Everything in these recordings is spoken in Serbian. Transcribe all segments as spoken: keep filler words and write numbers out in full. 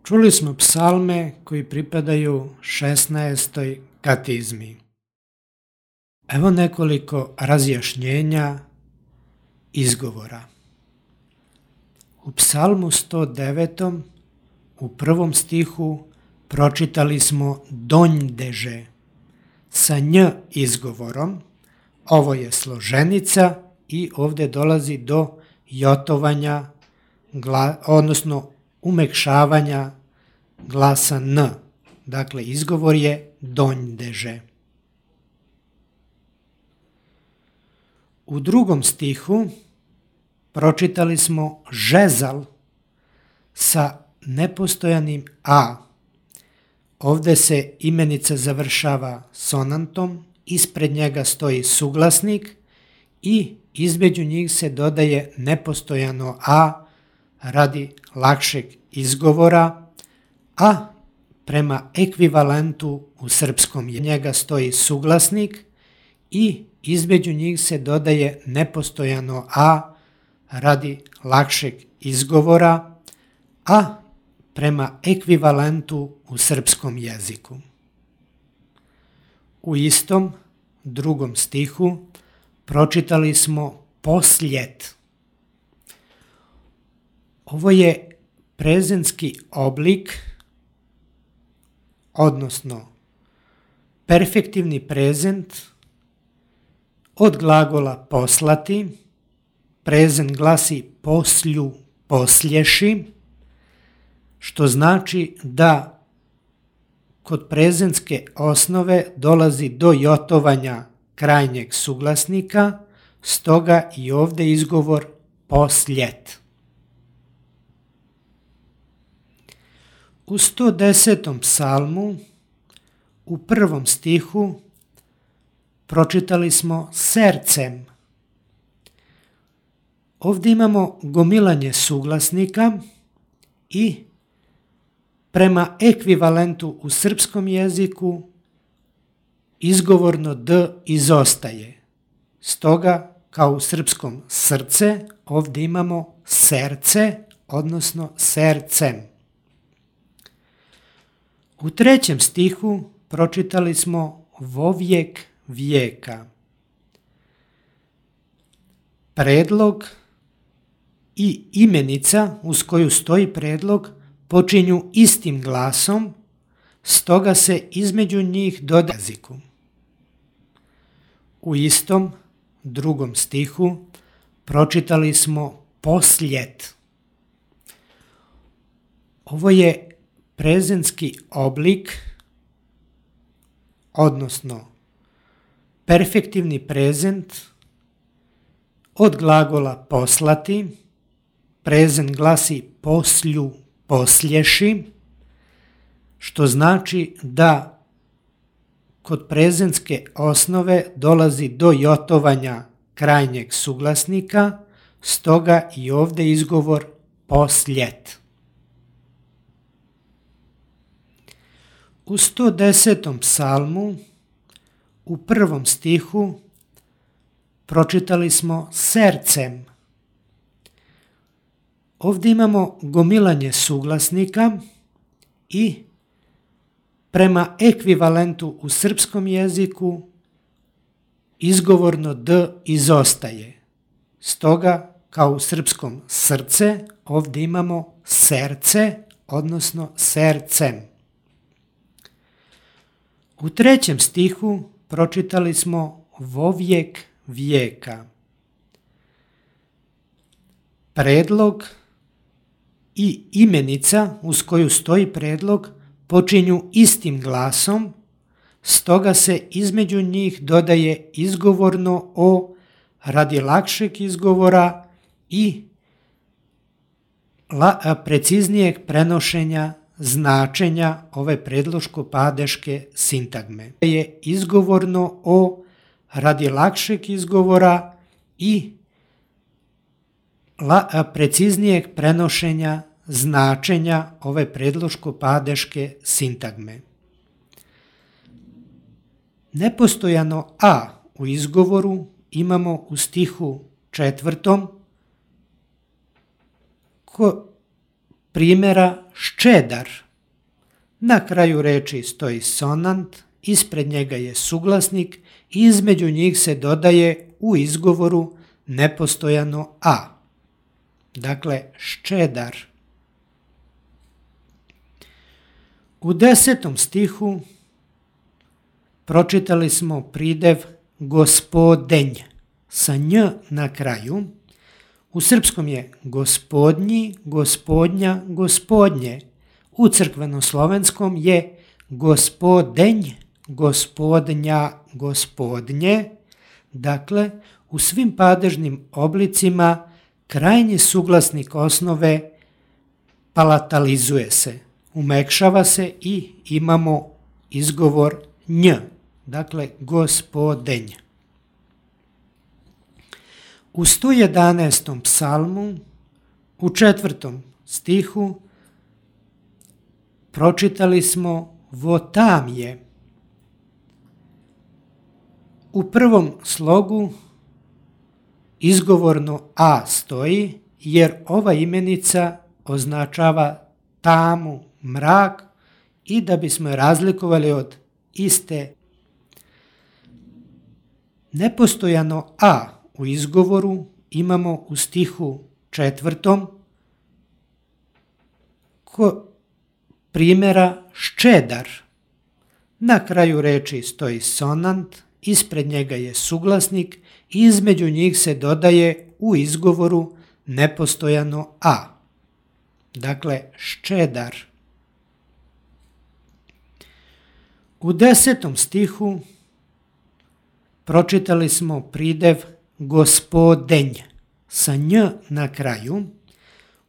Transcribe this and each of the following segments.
Čuli smo psalme koji pripadaju šesnaestoj katizmi. Evo nekoliko razjašnjenja izgovora. U psalmu sto devetom u prvom stihu pročitali smo donjdeže sa nj izgovorom. Ovo je složenica i ovdje dolazi do jotovanja, odnosno umekšavanja glasa n. Dakle, izgovor je donjdeže. U drugom stihu pročitali smo žezal sa nepostojanim a. Ovdje se imenica završava sonantom, ispred njega stoji suglasnik i između njih se dodaje nepostojano a radi lakšeg izgovora, a prema ekvivalentu u srpskom njega stoji suglasnik i između njih se dodaje nepostojano a radi lakšeg izgovora, a prema ekvivalentu u srpskom jeziku. U istom drugom stihu pročitali smo posljet. Ovo je prezenski oblik, odnosno perfektivni prezent od glagola poslati. Prezent glasi poslju, poslješi, što znači da kod prezentske osnove dolazi do jotovanja krajnjeg suglasnika, stoga i ovdje izgovor posljet. U sto desetom psalmu u prvom stihu pročitali smo sercem. Ovdje imamo gomilanje suglasnika i prema ekvivalentu u srpskom jeziku izgovorno d izostaje. Stoga, kao u srpskom srce, ovdje imamo serce, odnosno sercem. U trećem stihu pročitali smo vovijek vijeka. Predlog i imenica uz koju stoji predlog počinju istim glasom, stoga se između njih dodaje jeziku. U istom drugom stihu pročitali smo posljet. Ovo je prezentski oblik, odnosno perfektivni prezent od glagola poslati. Prezent glasi poslju, poslješi, što znači da kod prezentske osnove dolazi do jotovanja krajnjeg suglasnika, stoga i ovdje izgovor posljet. U sto desetom psalmu u prvom stihu pročitali smo sercem. Ovdje imamo gomilanje suglasnika i prema ekvivalentu u srpskom jeziku izgovorno d izostaje. Stoga, kao u srpskom srce, ovdje imamo serce, odnosno sercem. U trećem stihu pročitali smo vovijek vijeka. Predlog i imenica uz koju stoji predlog počinju istim glasom, stoga se između njih dodaje izgovorno o radi lakšeg izgovora i la, preciznijeg prenošenja značenja ove predloško-padeške sintagme. Je izgovorno o radi lakšeg izgovora i la, preciznijeg prenošenja značenja ove predloško-padeške sintagme. Nepostojano a u izgovoru imamo u stihu četvrtom ko, primjera ščedar. Na kraju reči stoji sonant, ispred njega je suglasnik i između njih se dodaje u izgovoru nepostojano a. Dakle, ščedar. U desetom stihu pročitali smo pridev gospodenj sa nj na kraju. U srpskom je gospodnji, gospodnja, gospodnje. U crkvenoslovenskom je gospodenj, gospodnja, gospodnje. Dakle, u svim padežnim oblicima krajnji suglasnik osnove palatalizuje se, umekšava se i imamo izgovor nj, dakle gospodenj. U sto jedanaestom psalmu, u četvrtom stihu, pročitali smo votamje. U prvom slogu izgovorno a stoji, jer ova imenica označava tamu, mrak, i da bismo je razlikovali od iste. Nepostojano a u izgovoru imamo u stihu četvrtom ko primjera ščedar. Na kraju reči stoji sonant, ispred njega je suglasnik i između njih se dodaje u izgovoru nepostojano a. Dakle, ščedar. U desetom stihu pročitali smo pridev gospodenj sa nj na kraju.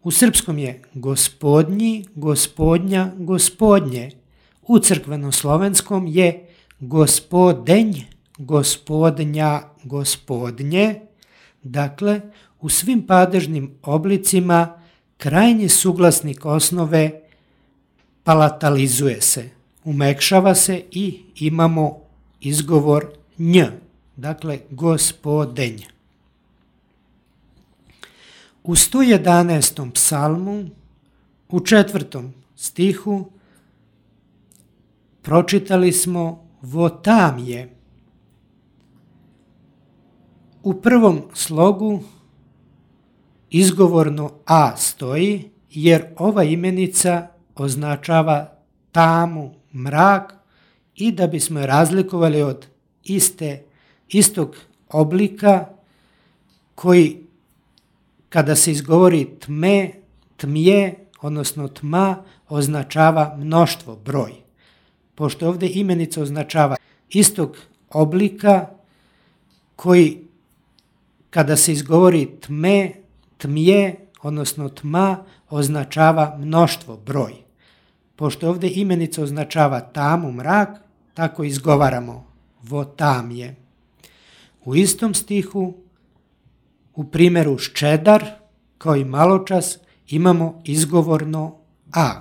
U srpskom je gospodnji, gospodnja, gospodnje. U crkvenoslovenskom je gospodenj, gospodnja, gospodnje. Dakle, u svim padežnim oblicima krajnji suglasnik osnove palatalizuje se, umekšava se i imamo izgovor nj, dakle gospodenj. U sto jedanaestom psalmu, u četvrtom stihu, pročitali smo votamje. U prvom slogu izgovorno a stoji, jer ova imenica označava tamu, mrak, i da bismo je razlikovali od iste, istog oblika koji kada se izgovori tme, tmje, odnosno tma, označava mnoštvo, broj. Pošto ovdje imenica označava istog oblika koji kada se izgovori tme, tmje, odnosno tma, označava mnoštvo, broj. Pošto ovdje imenica označava tamu, mrak, tako izgovaramo votamje. U istom stihu, u primjeru ščedar, kao i maločas, imamo izgovorno a.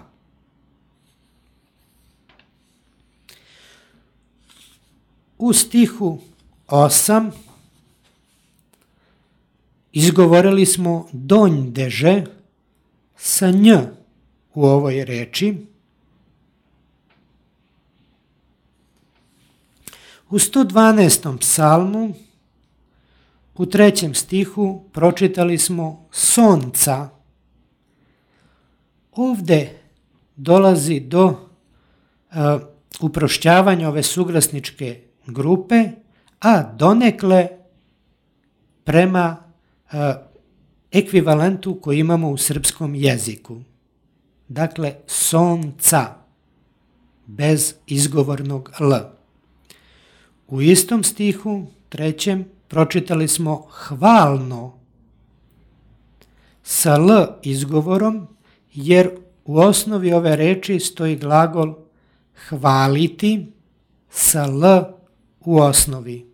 U stihu osam izgovorili smo donjdeže sa nj u ovoj reči. U sto dvanaestom psalmu, u trećem stihu, pročitali smo sonca. Ovdje dolazi do uh, uprošćavanja ove suglasničke grupe, a donekle prema uh, ekvivalentu koji imamo u srpskom jeziku. Dakle, sonca, bez izgovornog l. U istom stihu, trećem, pročitali smo hvalno sa l izgovorom, jer u osnovi ove reči stoji glagol hvaliti sa l u osnovi.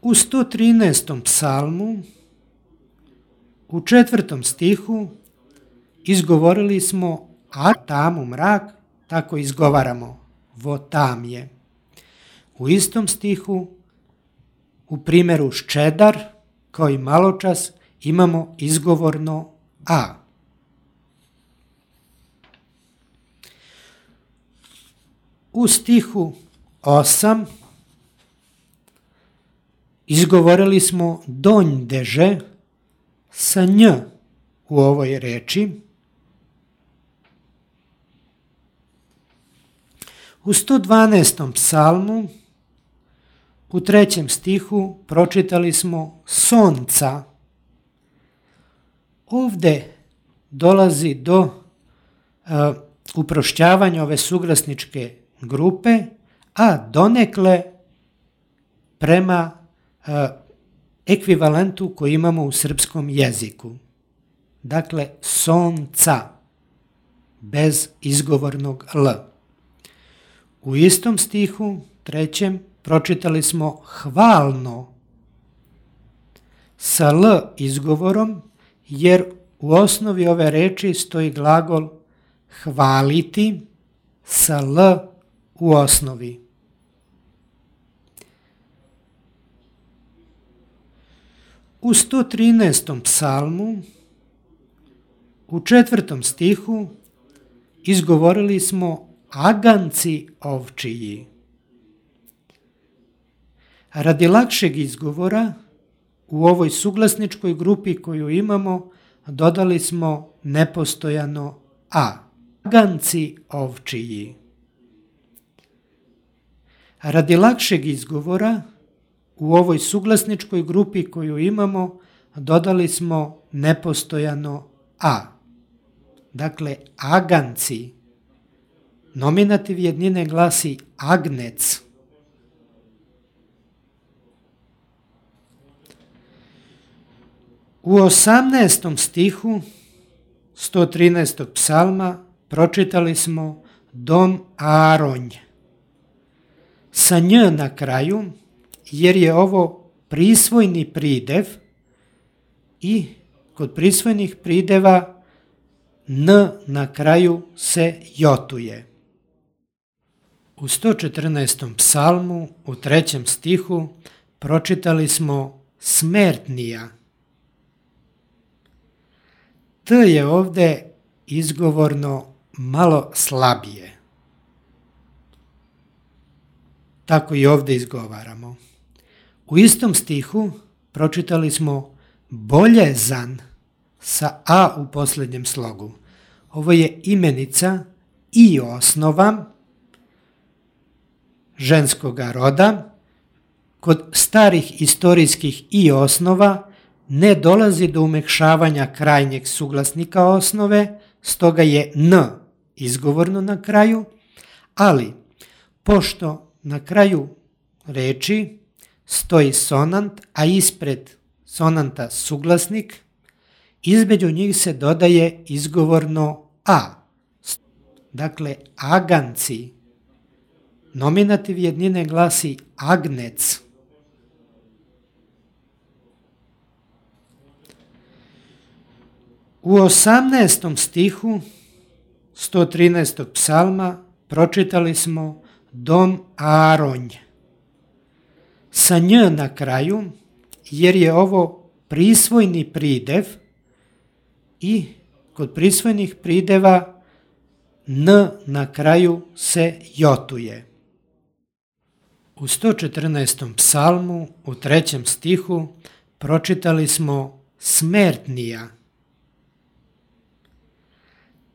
U sto trinaestom psalmu, u četvrtom stihu, izgovorili smo a tamu mrak, tako izgovaramo votamje. U istom stihu, u primjeru ščedar, kao i maločas, imamo izgovorno a. U stihu osam izgovorili smo donjdeže sa nj u ovoj reči. U sto dvanaestom psalmu u trećem stihu pročitali smo sonca. Ovde dolazi do uh, uprošćavanja ove suglasničke grupe, a donekle prema uh, ekvivalentu koji imamo u srpskom jeziku. Dakle, sonca, bez izgovornog l. U istom stihu, trećem, pročitali smo hvalno sa l izgovorom, jer u osnovi ove reči stoji glagol hvaliti sa l u osnovi. U sto trinaestom psalmu u četvrtom stihu izgovorili smo aganci ovčiji. Radi lakšeg izgovora u ovoj suglasničkoj grupi koju imamo dodali smo nepostojano a. Aganci ovčiji. Radi lakšeg izgovora u ovoj suglasničkoj grupi koju imamo dodali smo nepostojano a. Dakle, aganci. Nominativ jednine glasi agnec. U osamnaestom stihu sto trinaestog psalma pročitali smo dom Aaronj sa nj na kraju, jer je ovo prisvojni pridev i kod prisvojnih prideva n na kraju se jotuje. U sto četrnaestom psalmu u trećem stihu pročitali smo smertnija. T je ovde izgovorno malo slabije. Tako i ovde izgovaramo. U istom stihu pročitali smo boljezan sa a u posljednjem slogu. Ovo je imenica i osnova ženskoga roda. Kod starih istorijskih i osnova ne dolazi do umekšavanja krajnjeg suglasnika osnove, stoga je n izgovorno na kraju, ali pošto na kraju reči stoji sonant, a ispred sonanta suglasnik, između njih se dodaje izgovorno a. Dakle, aganci. Nominativ jednine glasi agnec. U osamnaestom stihu sto trinaestog psalma pročitali smo dom Aaronj sa nj na kraju, jer je ovo prisvojni pridev i kod prisvojnih prideva n na kraju se jotuje. U sto četrnaestom psalmu u trećem stihu pročitali smo smertnija.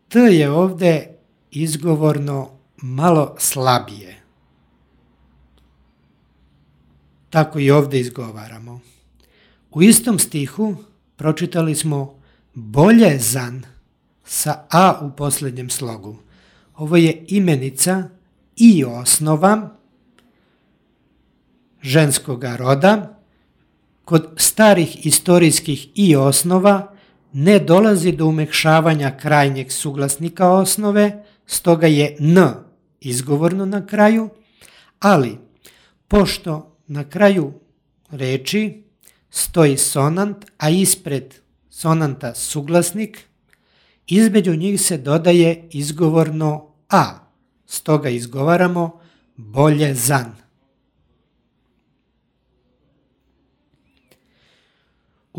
T je ovde izgovorno malo slabije. Tako i ovde izgovaramo. U istom stihu pročitali smo boljezan sa a u posljednjem slogu. Ovo je imenica i osnova ženskoga roda. Kod starih istorijskih i osnova ne dolazi do umekšavanja krajnjeg suglasnika osnove, stoga je n izgovorno na kraju, ali pošto na kraju reči stoji sonant, a ispred sonanta suglasnik, između njih se dodaje izgovorno a, stoga izgovaramo boljezan.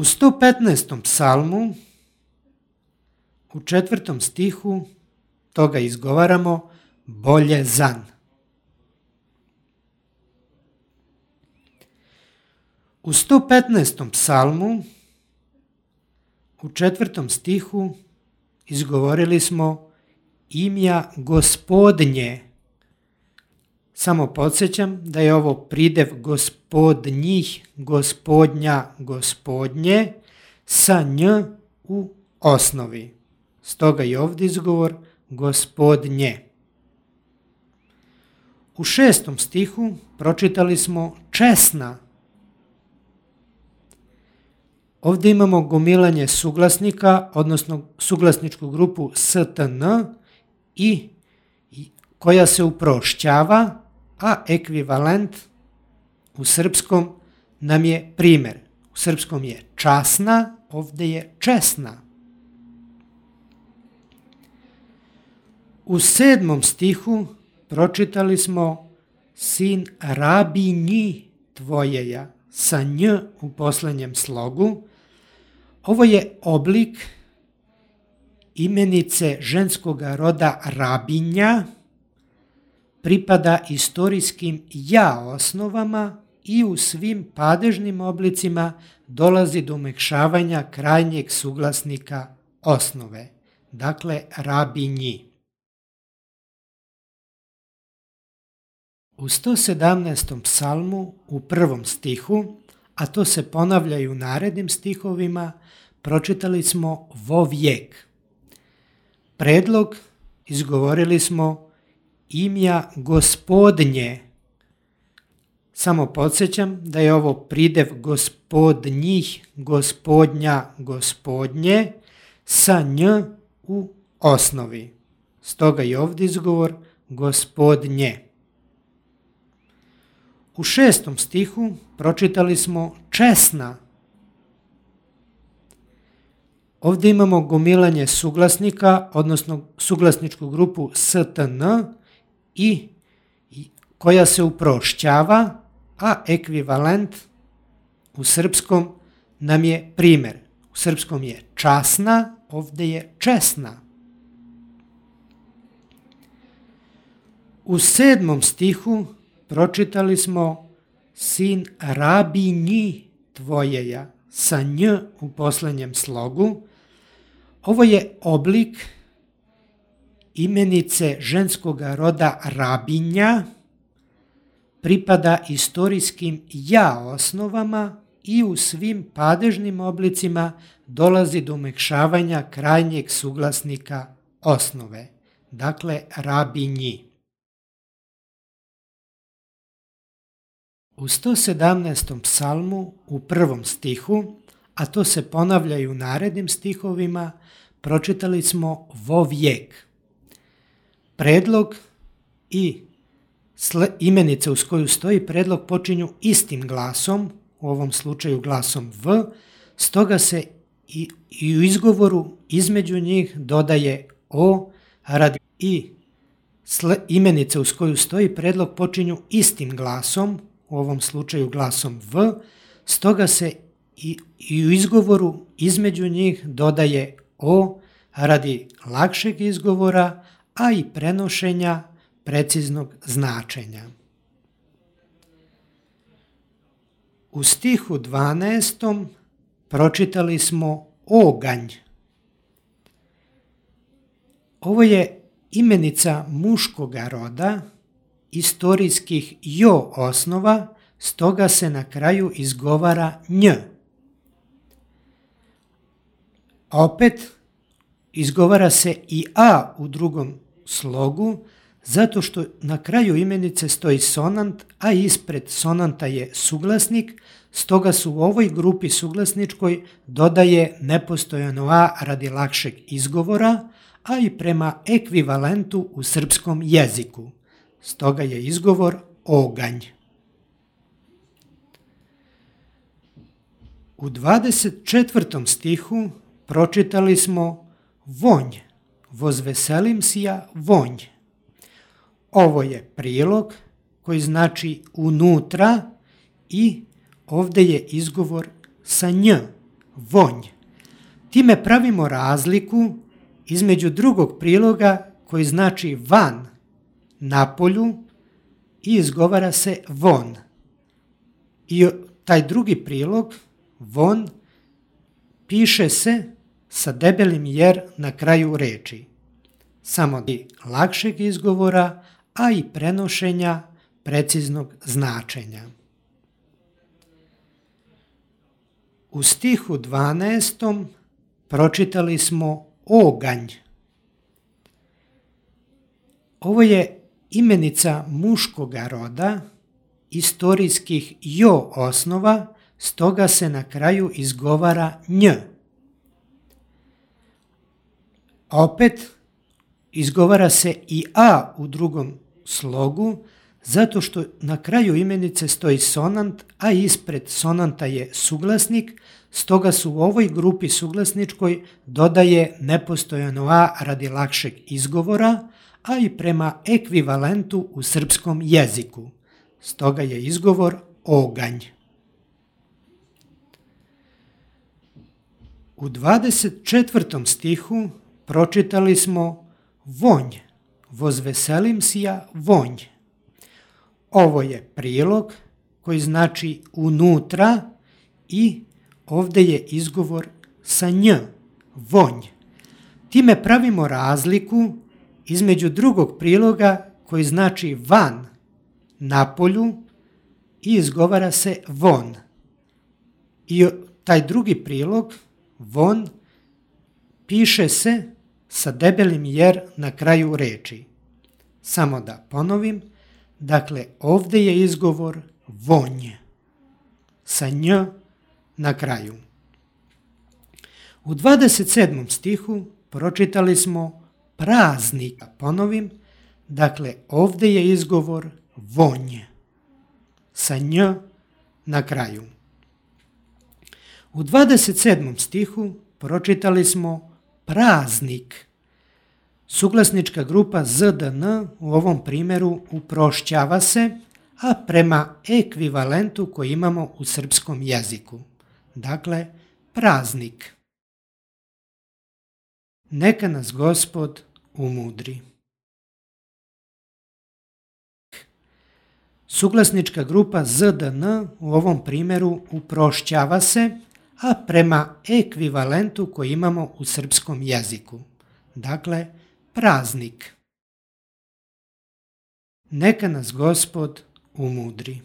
U sto petnaestom psalmu, u četvrtom stihu, toga izgovaramo bolje zan. U sto petnaestom psalmu, u četvrtom stihu, izgovorili smo imja Gospodnje. Samo podsjećam da je ovo pridev gospodnjih, gospodnja, gospodnje sa nj u osnovi. Stoga je ovdje izgovor Gospodnje. U šestom stihu pročitali smo česna. Ovdje imamo gomilanje suglasnika, odnosno suglasničku grupu stn i koja se uprošćava, a ekvivalent u srpskom nam je primjer. U srpskom je časna, ovdje je česna. U sedmom stihu pročitali smo sin rabinji tvojeja sa nj u posljednjem slogu. Ovo je oblik imenice ženskog roda rabinja, pripada istorijskim ja osnovama i u svim padežnim oblicima dolazi do umekšavanja krajnjeg suglasnika osnove, dakle rabinji. U sto sedamnaestom psalmu u prvom stihu, a to se ponavlja i u narednim stihovima, pročitali smo vo vijek. Predlog izgovorili smo imja Gospodnje. Samo podsjećam da je ovo pridev gospodnjih, gospodnja, gospodnje sa nj u osnovi. Stoga je ovdje izgovor Gospodnje. U šestom stihu pročitali smo česna. Ovdje imamo gomilanje suglasnika, odnosno suglasničku grupu stn i koja se uprošćava, a ekvivalent u srpskom nam je primjer. U srpskom je časna, ovdje je česna. U sedmom stihu pročitali smo sin rabinji tvojeja sa nj u posljednjem slogu. Ovo je oblik imenice ženskog roda rabinja, pripada istorijskim ja osnovama i u svim padežnim oblicima dolazi do umekšavanja krajnjeg suglasnika osnove, dakle rabinji. U sto sedamnaestom psalmu u prvom stihu, a to se ponavlja i u narednim stihovima, pročitali smo vo vijek. Predlog i imenica uz koju stoji predlog počinju istim glasom, u ovom slučaju glasom v, stoga se i, i u izgovoru između njih dodaje o radi i imenica uz koju stoji predlog počinju istim glasom, u ovom slučaju glasom v, stoga se i, i u izgovoru između njih dodaje o radi lakšeg izgovora, a i prenošenja preciznog značenja. U stihu dvanaestom pročitali smo oganj. Ovo je imenica muškoga roda, istorijskih jo osnova, stoga se na kraju izgovara nj. Opet izgovara se i a u drugom slogu, zato što na kraju imenice stoji sonant, a ispred sonanta je suglasnik, stoga su u ovoj grupi suglasničkoj dodaje nepostojano a radi lakšeg izgovora, a i prema ekvivalentu u srpskom jeziku. Stoga je izgovor oganj. U dvadeset četvrtom stihu pročitali smo vonj, vozveselim sija vonj. Ovo je prilog koji znači unutra i ovdje je izgovor sa nj, vonj. Time pravimo razliku između drugog priloga koji znači van, na polju, i izgovara se von. I taj drugi prilog, von, piše se sa debelim jer na kraju reči. Samo lakšeg izgovora, a i prenošenja preciznog značenja. U stihu dvanaestom pročitali smo oganj. Ovo je imenica muškoga roda, istorijskih jo osnova, stoga se na kraju izgovara nj. Opet izgovara se i a u drugom slogu, zato što na kraju imenice stoji sonant, a ispred sonanta je suglasnik, stoga se u ovoj grupi suglasničkoj dodaje nepostojano a radi lakšeg izgovora, a i prema ekvivalentu u srpskom jeziku. Stoga je izgovor oganj. U dvadeset četvrtom stihu pročitali smo vonj, vozveselim si ja vonj. Ovo je prilog koji znači unutra i ovdje je izgovor sa nj, vonj. Time pravimo razliku između drugog priloga koji znači van, na polju, i izgovara se von. I taj drugi prilog, von, piše se sa debelim jer na kraju reči. Samo da ponovim, dakle ovdje je izgovor vonj, sa nj na kraju. U dvadeset sedmom stihu pročitali smo praznik. Ponovim, dakle ovdje je izgovor vonj, sa nj na kraju. U dvadeset sedmom stihu pročitali smo praznik. Suglasnička grupa zdn u ovom primjeru uprošćava se, a prema ekvivalentu koji imamo u srpskom jeziku. Dakle, praznik. Neka nas Gospod umudri. Suglasnička grupa zdn u ovom primjeru uprošćava se, a prema ekvivalentu koji imamo u srpskom jeziku. Dakle, praznik. Neka nas Gospod umudri.